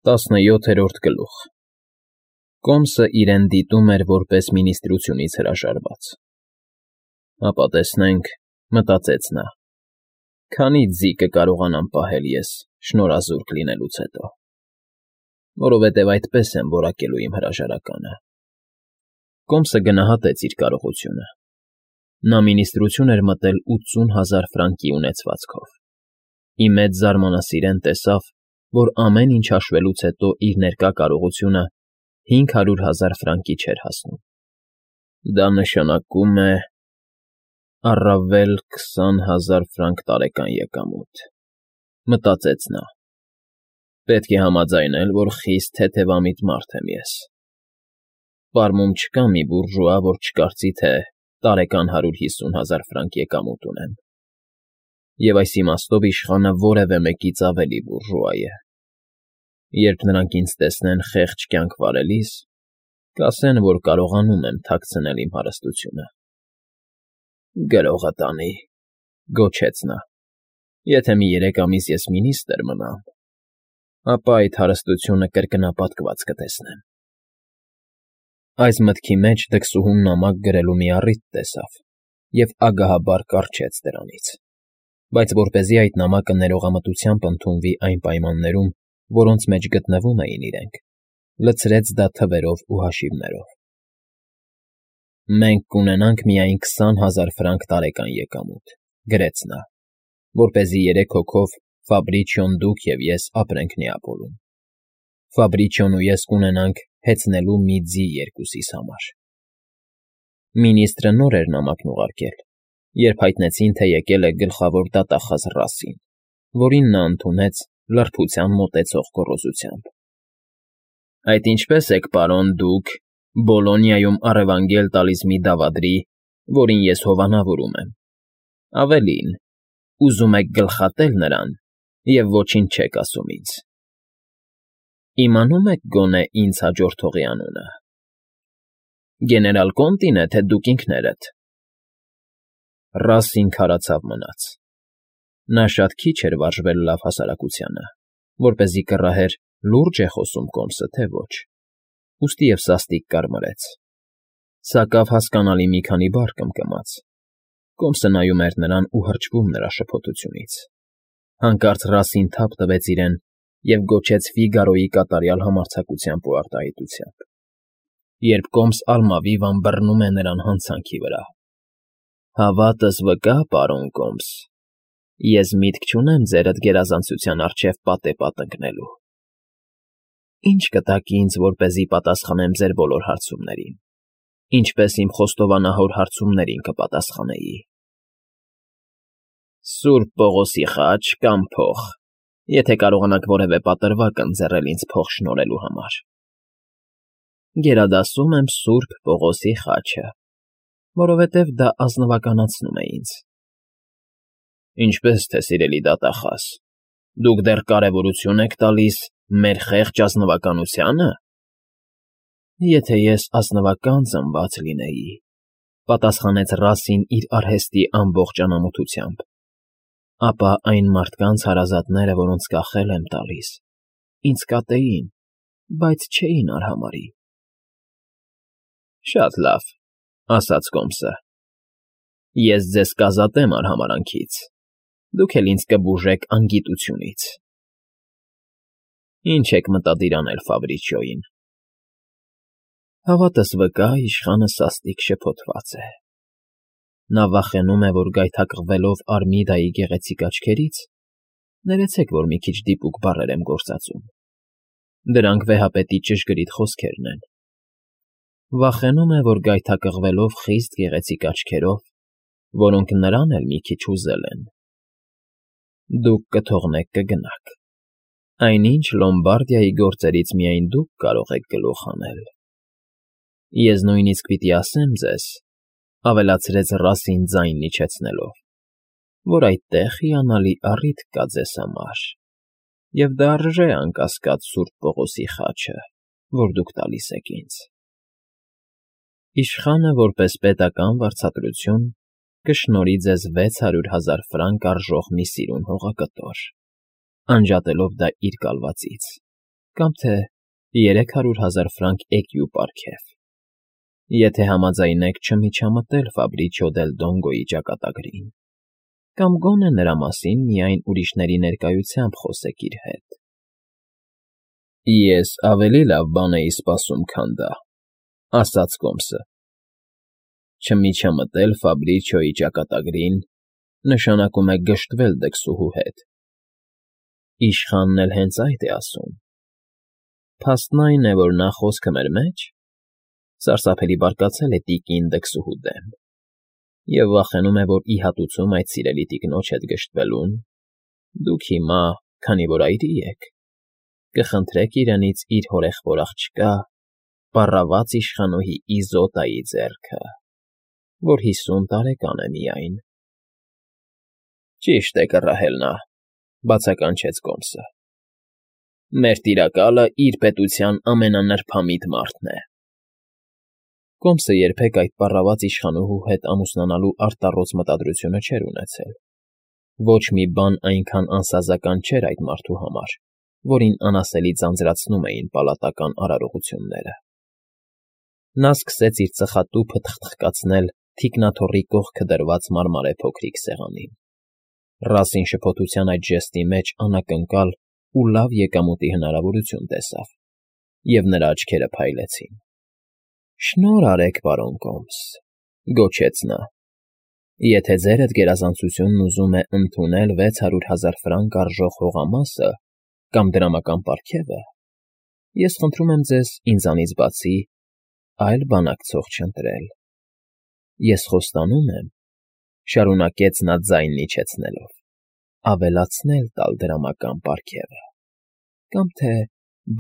17-րդ գլուխ Կոմսը իրեն դիտում էր որպես մինիստրությունից հրաժարված։ «Ապա տեսնենք,֊ մտածեց նա,֊ քանի ձի կկարողանամ պահել ես շնորհազուրկ լինելուց հետո, որովհետև այդպես եմ որակելու իմ հրաժարականը»։ Կոմսը գնահատեց իր կարողությունը։ Նա մինիստրություն էր մտել 80,000 ֆրանկի ունեցվածքով։ Ի մեծ զարմանասիրեն տեսավ, որ ամեն ինչ հաշվելուց հետո իր ներկա կարողությունը 500,000 ֆրանկի չէր հասնում։ «Դա նշանակում է առավել 20,000 ֆրանկ տարեկան եկամուտ,֊ մտածեց նա։ Պետք է համաձայնել, որ խիստ թեթևամիտ մարդ եմ ես։ Պարմում չկա մի բուրժուա, որ չկարծի, թե տարեկան 150,000 ֆրանկ եկամուտ ունեմ։ Եվ այս իմաստով իշխանը որևէ մեկից ավելի բուրժուա է։ Երբ նրանք ինձ տեսնեն խեղճ կյանք վարելիս, կասեն, որ կարողանում եմ թաքցնել իմ հարստությունը»։ «Գրողը տանի,֊ գոչեց նա,֊ եթե մի 3 ամիս ես մինիստրը մնամ, ապա այդ հարստությունը կրկնապատկված կտեսնեմ»։ Այս մտքի մեջ դքսուհուն նամակ գրելու մի առիթ տեսավ և ագահաբար կառչեց դրանից, բայց որպեսզի այդ նամակը ներողամտությամբ ընդունվի այն պայմաններում, որոնց մեջ գտնվում էին իրենք, լցրեց դա թվերով ու հաշիվներով։ «Մենք կունենանք միայն 20,000 ֆրանկ տարեկան եկամուտ,֊ գրեց նա,֊ որպեսզի 3 հոգով Ֆաբրիչիոն, դուք և ես ապրենք Նեապոլում։ Ֆաբրիչիոն ու ես կունենանք հեծնելու մի ձի երկուսիս համար»։ Մինիստրը նոր էր նամակն ուղարկել, երբ հայտնեցին, թե եկել է գլխավոր դատախազ Ռասսին, որին նա ընդունեց լրբության մոտեցող գոռոզությամբ։ «Այդ ինչպե՞ս եք, պարոն, դուք Բոլոնիայում առևանգել տալիս մի դավադրի, որին ես հովանավորում եմ։ Ավելին, ուզում եք գլխատել նրան և ոչինչ չեք ասում ինձ։ Իմանո՞ւմ եք գոնե ինձ հաջորդողի անունը։ Գեներալ Կոնտին է, թե դուք ինքներդ»։ Ռասսին քարացավ մնաց։ Նա շատ քիչ էր վարժվել լավ հասարակությանը, որպեսզի կռահեր՝ լուրջ է խոսում Կոմսը, թե ոչ, ուստի և սաստիկ կարմրեց։ Սակավ հասկանալի մի քանի բառ կմկմաց։ Կոմսը նայում էր նրան ու հրճվում նրա շփոթությունից։ Հանկարծ Ռասսին թափ տվեց իրեն և գոչեց Ֆիգարոյի կատարյալ համարձակությամբ ու արտահայտությամբ, երբ Կոմս ալմավիվան բռնում է նրան հանցանքի վրա։ «Հավատս վկա, պարոն Կոմս, ես միտք չունեմ ձերդ գերազանցության առջև պատեպատ ընկնելու։ Ի՞նչ կտաք ինձ, որպեսզի պատասխանեմ ձեր բոլոր հարցումներին, ինչպես իմ խոստովանահոր հարցումներին կպատասխանեի»։ «Սուրբ Պողոսի խաչ կամ փող, եթե կարողանաք որևէ պատրվակ ընձեռել ինձ փող շնորհելու համար»։ «Գերադասում եմ Սուրբ Պողոսի խաչը, որովհետև դա ազնվականացնում է ինձ»։ «Ինչպե՞ս թե, սիրելի դատախազ, դուք դեռ կարևորություն եք տալիս մեր խեղճ ազնվականությանը»։ «Եթե ես ազնվական ծնված լինեի,֊ պատասխանեց Ռասսին իր արհեստի ամբողջ անամոթությամբ,֊ ապա այն մարդկանց հարազատները, որոնց կախել եմ տալիս, ինձ կատեին, բայց չէին արհամարհի»։ «Շատ լավ,֊ ասաց Կոմսը,֊ ես ձեզ կազատեմ արհամարհանքից, դուք էլ ինձ կբուժեք անգիտությունից։ Ի՞նչ եք մտադիր անել Ֆաբրիչիոյին»։ «Հավատս վկա, իշխանը սաստիկ շփոթված է։ Նա վախենում է, որ գայթակղվելով Արմիդայի գեղեցիկ աչքերից, ներեցեք, որ մի քիչ դիպուկ բառեր եմ գործածում, դրանք վեհապետի ճշգրիտ խոսքերն են, վախենում է, որ գայթակղվելով խիստ գեղեցիկ աչքերով, որոնք նրան էլ մի քիչ հուզել են, դուք կթողնեք կգնաք։ Այնինչ Լոմբարդիայի գործերից միայն դուք կարող եք գլուխ հանել։ Ես նույնիսկ պիտի ասեմ ձեզ,֊ ավելացրեց Ռասսին ձայնն իջեցնելով,֊ որ այդտեղ հիանալի առիթ կա ձեզ համար, և դա արժե, անկասկած, Սուրբ Պողոսի խաչը, որ դուք տալիս եք ինձ։ Իշխանը, որպես պետական վարձատրություն, կշնորհի ձեզ 600,000 ֆրանկ արժող մի սիրուն հողակտոր, անջատելով դա իր կալվածից, կամ թե 300,000 ֆրանկ էկյու պարգև, եթե համաձայնեք չմիջամտել Ֆաբրիչիո դել Դոնգոյի ճակատագրին, կամ գոնե նրա մասին միայն ուրիշների ներկայությամբ խոսեք իր հետ։ Ես ավելի լավ բան էի սպասում, քան դա, ասաց Կոմսը։ Չմիջամտել Ֆաբրիչիոյի ճակատագրին նշանակում է գժտվել դքսուհու հետ։ Իշխանն էլ հենց այդ է ասում։ Փաստն այն է, որ նա խոսքը մեր մեջ սարսափելի բարկացել է տիկին դքսուհու դեմ և վախենում է, որ ի հատուցում այդ սիրելի տիկնոջ հետ գժտվելուն, դուք հիմա, քանի որ այրի եք, կխնդրեք իրենից իր հորեղբոր աղջկա, պառավաց իշխանուհի Իզոտայի ձեռքը, որ 50 տարեկան է միայն։ Ճիշտ է կռահել նա, բացականչեց Կոմսը։ Մեր տիրակալը իր պետության ամենանրբամիտ մարդն է։ Կոմսը երբեք այդ պառավաց իշխանուհու հետ ամուսնանալու արտառոց մտադրությունը չէր ունեցել։ Ոչ մի բան այնքան անսազական չէր այդ մարդու համար, որին անասելի ձանձրացնում էին պալատական արարողությունները։ Նա սկսեց իր ծխատուփը թխթխկացնել թիկնաթոռի կողքը դրված մարմարե փոքրիկ սեղանին։ Ռասին շփոթության այդ ժեստի մեջ անակնկալ ու լավ եկամուտի հնարավորություն տեսավ, և նրա աչքերը փայլեցին։ Շնորհ արեք, պարոն Կոմս, գոչեց նա։ Եթե ձեր այդ գերազանցությունն ուզում է ընդունել 600,000 ֆրանկ արժող հողամասը կամ դրամական պարգևը, ես խնդրում եմ ձեզ ինձանից բացի այլ բանակցող չընտրել։ Ես խոստանում եմ, շարունակեց նա ձայնն իջեցնելով, ավելացնել տալ դրամական պարգևը, կամ թե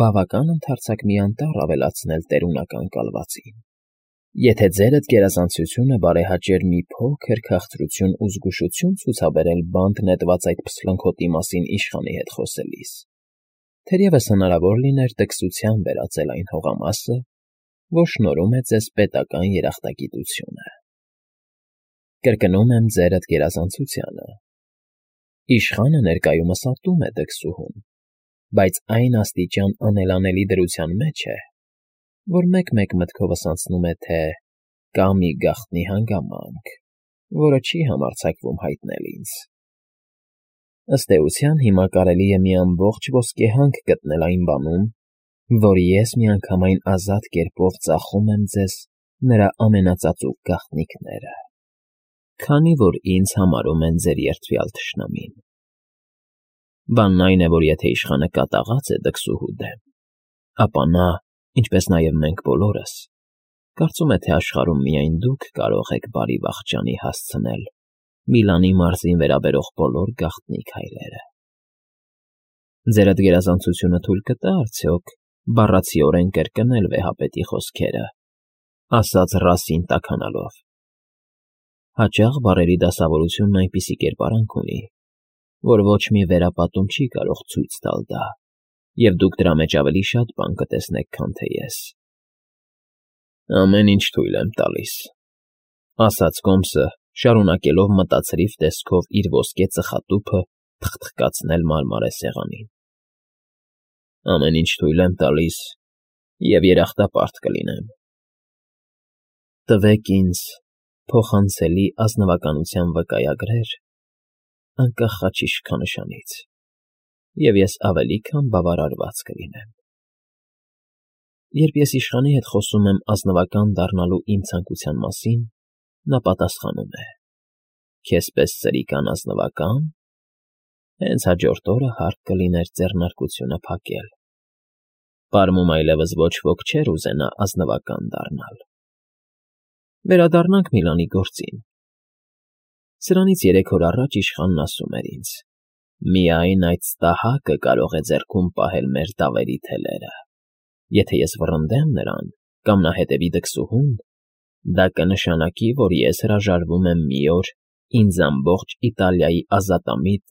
բավական ընդարձակ մի անտառ ավելացնել տերունական կալվածին, եթե ձեր այդ գերազանցությունը բարեհաճեր մի փոքր քաղցրություն ու զգուշություն ցուցաբերել բանտ նետված այդ փսլնքոտի մասին իշխանի հետ խոսելիս, թերևս հնարավոր լիներ տքսության վերածել այն հողամասը, որ շնորհում է ձեզ պետական երախտագիտությունը։ Կրկնում եմ ձեր այդ գերազանցությանը։ Իշխանը ներկայումս ատում է դքսուհուն, բայց այն աստիճան անելանելի դրության մեջ է, որ մեկ-մեկ մտքովս անցնում է, թե կա մի գաղտնի հանգամանք, որը չի համարձակվում հայտնել ինձ։ Ըստ էության հիմա կարելի է մի ամբողջ ոսկեհանք գտնել այն բանում, որ ես միանգամայն ազատ կերպով ծախում եմ ձեզ նրա ամենածածուկ գաղտնիքները, քանի որ ինձ համարում են ձեր երդվյալ թշնամին։ Բանն այն է, որ եթե իշխանը կատաղած է դքսուհու դեմ, ապա նա, ինչպես նաև մենք բոլորս, կարծում է, թե աշխարհում միայն դուք կարող եք բարի վախճանի հասցնել Միլանի մարզին վերաբերող բոլոր գաղտնի քայլերը։ Ձեր այդ գերազանցությունը թույլ կտա արդյոք բառացիորեն կրկնել վեհապետի խոսքերը, ասաց Ռասին տաքանալով։ Հաճախ բառերի դասավորությունն այնպիսի կերպարանք ունի, որ ոչ մի վերապատում չի կարող ցույց տալ դա, և դուք դրա մեջ ավելի շատ բան կտեսնեք, քան թե ես։ Ամեն ինչ թույլ եմ տալիս, ասաց Կոմսը, շարունակելով մտածրիվ տեսքով իր ոսկե ծխատուփը թխթխկացնել մարմարե սեղանին։ Ամեն ինչ թույլ եմ տալիս և երախտապարտ կլինեմ։ Տվեք ինձ փոխանցելի ազնվականության վկայագրեր անկախ խաչի շքանշանից, և ես ավելի քան բավարարված կլինեմ։ Երբ ես իշխանի հետ խոսում եմ ազնվական դառնալու իմ ցանկության մասին, նա պատասխանում է. Քեզ պես սրիկան ազնվակա՞ն։ Հենց հաջորդ օրը հարկ կլիներ ձեռնարկությունը փակել։ Պարմում այլևս ոչ ոք չէր ուզենա ազնվական դառնալ։ Վերադառնանք Միլանի գործին։ Սրանից 3 օր առաջ իշխանն ասում էր ինձ. «Միայն այդ ստահակը կարող է ձեռքում պահել մեր դավերի թելերը։ Եթե ես վռնդեմ նրան, կամ նա հետևի դքսուհուն, դա կնշանակի, որ ես հրաժարվում եմ մի օր ինձ ամբողջ Իտալիայի ազատամիտ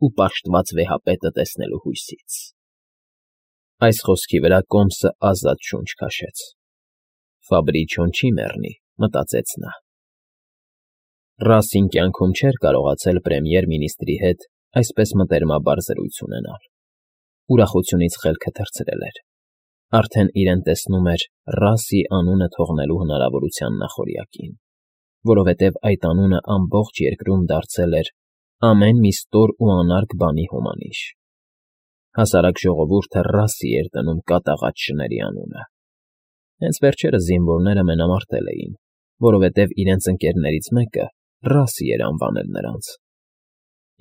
ու պաշտված վեհապետը տեսնելու հույսից»։ Այս խոսքի վրա Կոմսը ազատ շունչ քաշեց։ Ֆաբրիչիոն չի մեռնի, մտածեց նա։ Ռասին կյանքում չէր կարողացել պրեմիեր֊մինիստրի հետ այսպես մտերմաբար զրույց ունենալ։ ուրախությունից խելքը թռցրել էր։ Արդեն իրեն տեսնում էր Ռասի անունը թողնելու հնարավորության նախօրյակին, որովհետև այդ անունը ամբողջ երկրում դարձել էր ամեն մի ստոր ու անարգ բանի հոմանիշ։ Հասարակ ժողովուրդը Ռասի էր դնում կատաղած շների անունը։ Հենց վերջերս զինվորները մենամարտել էին, որովհետև իրենց ընկերներից մեկը Ռասի էր անվանել նրանց։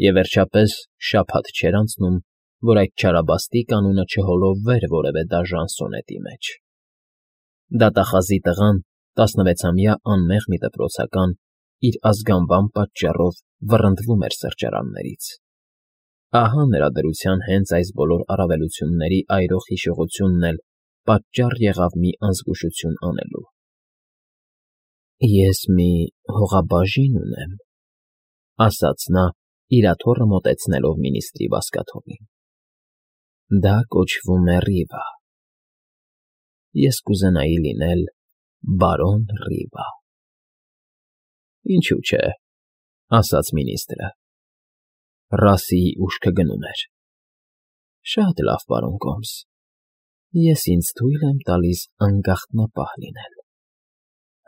Եվ վերջապես շաբաթ չէր անցնում, որ այդ չարաբաստիկ անունը չհոլովվեր որևէ դաժան սոնետի մեջ։ Դատախազի տղան, 16-ամյա անմեղ մի դպրոցական, իր ազգանվան պատճառով վռնդվում էր սրճարաններից։ Ահա նրա դրության հենց այս բոլոր առավելությունների այրող հիշողությունն էլ պատճառ եղավ մի անզգուշություն անելու։ «Ես մի հողաբաժին ունեմ», ասաց նա, իր աթոռը մոտեցնելով մինիստրի բազկաթոռին։ «Դա կոչվում է Ռիվա։ Ես կուզենայի լինել բարոն Ռիվա»։ «Ինչու՞ չէ», ասաց մինիստրը։ Ռասիի ուշքը գնում էր։ «Շատ լավ, պարոն Կոմս, ես ինձ թույլ եմ տալիս անգաղտնապահ լինել։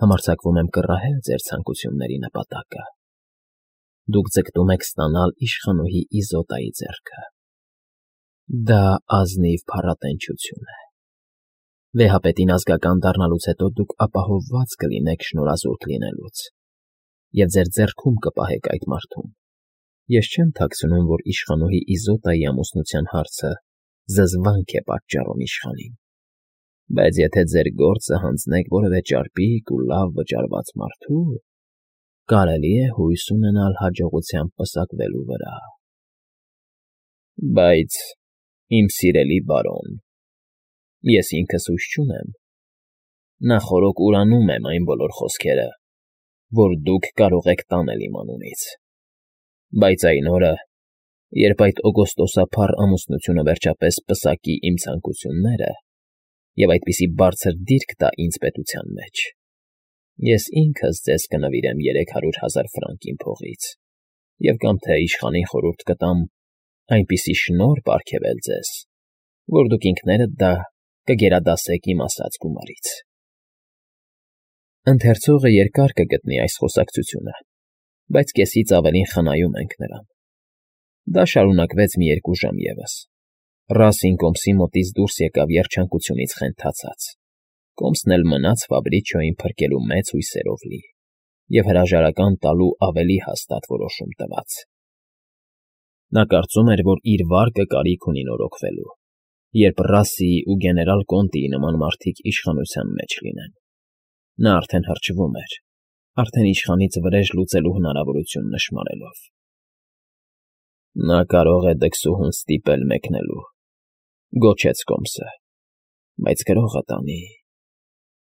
Համարձակվում եմ կռահել ձեր ցանկությունների նպատակը։ Դուք ձգտում եք ստանալ իշխանուհի Իզոտայի ձեռքը։ Դա ազնիվ փառատենչություն է։ Վեհապետին ազգական դառնալուց հետո դուք ապահովված կլինեք շնորհազուրկ լինելուց, և ձեր ձեռքում կպահեք այդ մարդուն։ Ես չեմ թաքցնում, որ իշխանուհի Իզոտայի ամուսնության հարցը զզվանք է պատճառում իշխանին, բայց եթե ձեր գործը հանձնեք որևէ ճարպիկ ու լավ վճարված մարդու, կարելի է հույս ունենալ հաջողությամբ պսակվելու վրա։ Բայց, իմ սիրելի բարոն, ես ինքս հույս չունեմ։ Նախօրոք ուրանում եմ այն բոլոր խոսքերը, որ դուք կարող եք տանել իմ անունից։ Բայց այն օրը, երբ այդ օգոստոսափառ ամուսնությունը վերջապես պսակի իմ ցանկությունները և այդպիսի բարձր դիրք տա ինձ պետության մեջ, ես ինքս ձեզ կնվիրեմ 300,000 ֆրանկ իմ փողից և կամ թե իշխանին խորհուրդ կտամ այնպիսի շնորհ պարգևել ձեզ, որ դուք ինքներդ դա կգերադասեք իմ ասած գումարից։ Ընթերցողը երկար կգտնի այս խոսակցությունը, բայց կեսից ավելին խնայում ենք նրան։ Դա շարունակվեց մի 2 ժամ ևս։ Ռասին Կոմսի մոտից դուրս եկավ երջանկությունից խենթացած։ Կոմսն էլ մնաց Ֆաբրիչիոյին փրկելու մեծ հույսերով լի և հրաժարական տալու ավելի հաստատ որոշում տված։ Նա կարծում էր, որ իր վարկը կարիք ունի նորոգվելու, երբ Ռասիի ու գեներալ Կոնտիի նման մարդիկ իշխանության մեջ լինեն։ Նա արդեն հրճվում էր, արդեն իշխանից վրեժ լուծելու հնարավորություն նշմարելով։ Նա կարող է դքսուհուն ստիպել մեկնելու, գոչեց Կոմսը, բայց գրողը տանի։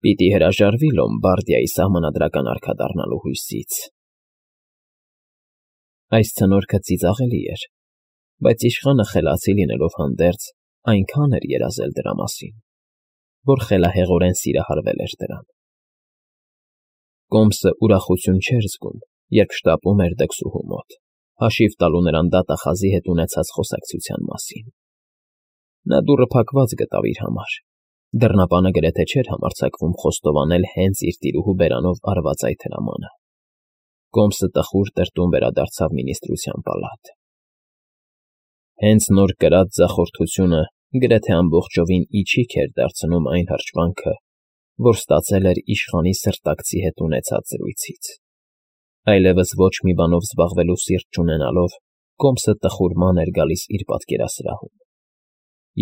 Պիտի հրաժարվի Լոմբարդիայի սահմանադրական արքա դառնալու հույսից։ Այս ցնորքը ծիծաղելի էր, բայց իշխանը խելացի լինելով հանդերձ այնքան էր երազել դրա մասին, որ խելահեղորեն սիրահարվել էր դրան։ Կոմսը ուրախություն չէր զգում, երբ շտապում էր դքսուհու մոտ, հաշիվ տալու նրան դատախազի հետ ունեցած խոսակցության մասին։ Նա դուռը փակված գտավ իր համար։ Դռնապանը գրեթե չէր համարձակվում խոստովանել հենց իր տիրուհու բերանով արված այդ հրամանը։ Կոմսը տխուր տրտում վերադարձավ մինիստրության պալատ։ Հենց նոր կրած ձախորդությունը գրեթե ամբողջովին իջիկ էր դարձնում այն հրճվանքը, որ ստացել էր իշխանի սրտակցի հետ ունեցած զրույցից։ Այլևս ոչ մի բանով զբաղվելու սիրտ չունենալով, Կոմսը տխուրման էր գալիս իր պատկերասրահում,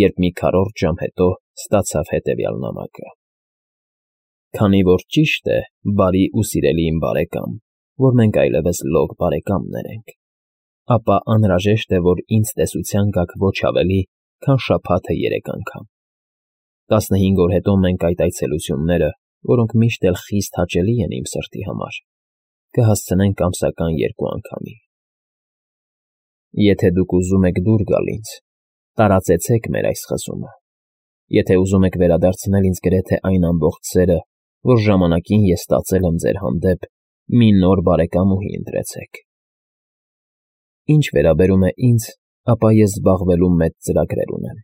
երբ մի քառորդ ժամ հետո ստացավ հետևյալ նամակը. Քանի որ ճիշտ է, բարի ու սիրելի իմ բարեկամ, որ մենք այլևս լոկ բարեկամներ ենք, ապա անհրաժեշտ է, որ ինձ տեսության գաք ոչ ավելի, քան շաբաթը 3 անգամ։ 15 օր հետո մենք այդ այցելությունները, որոնք միշտ էլ խիստ հաճելի են իմ սրտի համար, կհասցնենք ամսական 2 անգամի։ Եթե դուք ուզում եք դուր գալ ինձ, տարածեցեք մեր այս խզումը։ Եթե ուզում եք վերադարձնել ինձ գրեթե այն ամբողջ սերը, որ ժամանակին ես ստացել եմ ձեր հանդեպ, մի նոր բարեկամուհի ընտրեցեք։ Ինչ վերաբերում է ինձ, ապա ես զբաղվելու մեծ ծրագրեր ունեմ։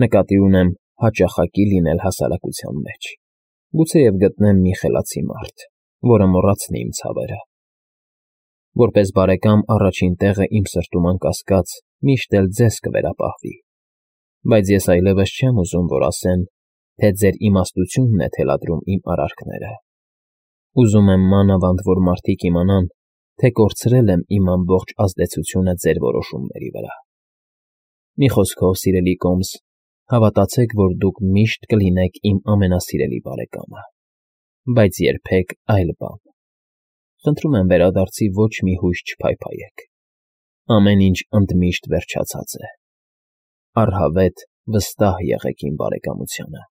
Նկատի ունեմ հաճախակի լինել հասարակության մեջ, գուցեև գտնեմ մի խելացի մարդ, որը մոռացնի իմ ցավերը։ Որպես բարեկամ առաջին տեղը իմ սրտում անկասկած միշտ էլ ձեզ կվերապահվի, բայց ես այլևս չեմ ուզում, որ ասեն, թե ձեր իմաստությունն է թելադրում իմ արարքները։ Ուզում եմ մանավանդ, որ մարդիկ իմանան, թե կորցրել եմ իմ ամբողջ ազդեցությունը ձեր որոշումների վրա։ Մի խոսքով, սիրելի Կոմս, հավատացեք, որ դուք միշտ կլինեք իմ ամենասիրելի բարեկամը, բայց երբեք այլ բան։ Խնդրում եմ վերադարձի ոչ մի հույս չփայփայեք։ Ամեն ինչ ընդմիշտ վերջացած է։ Առհավետ վստահ եղեք իմ բարեկամությանը։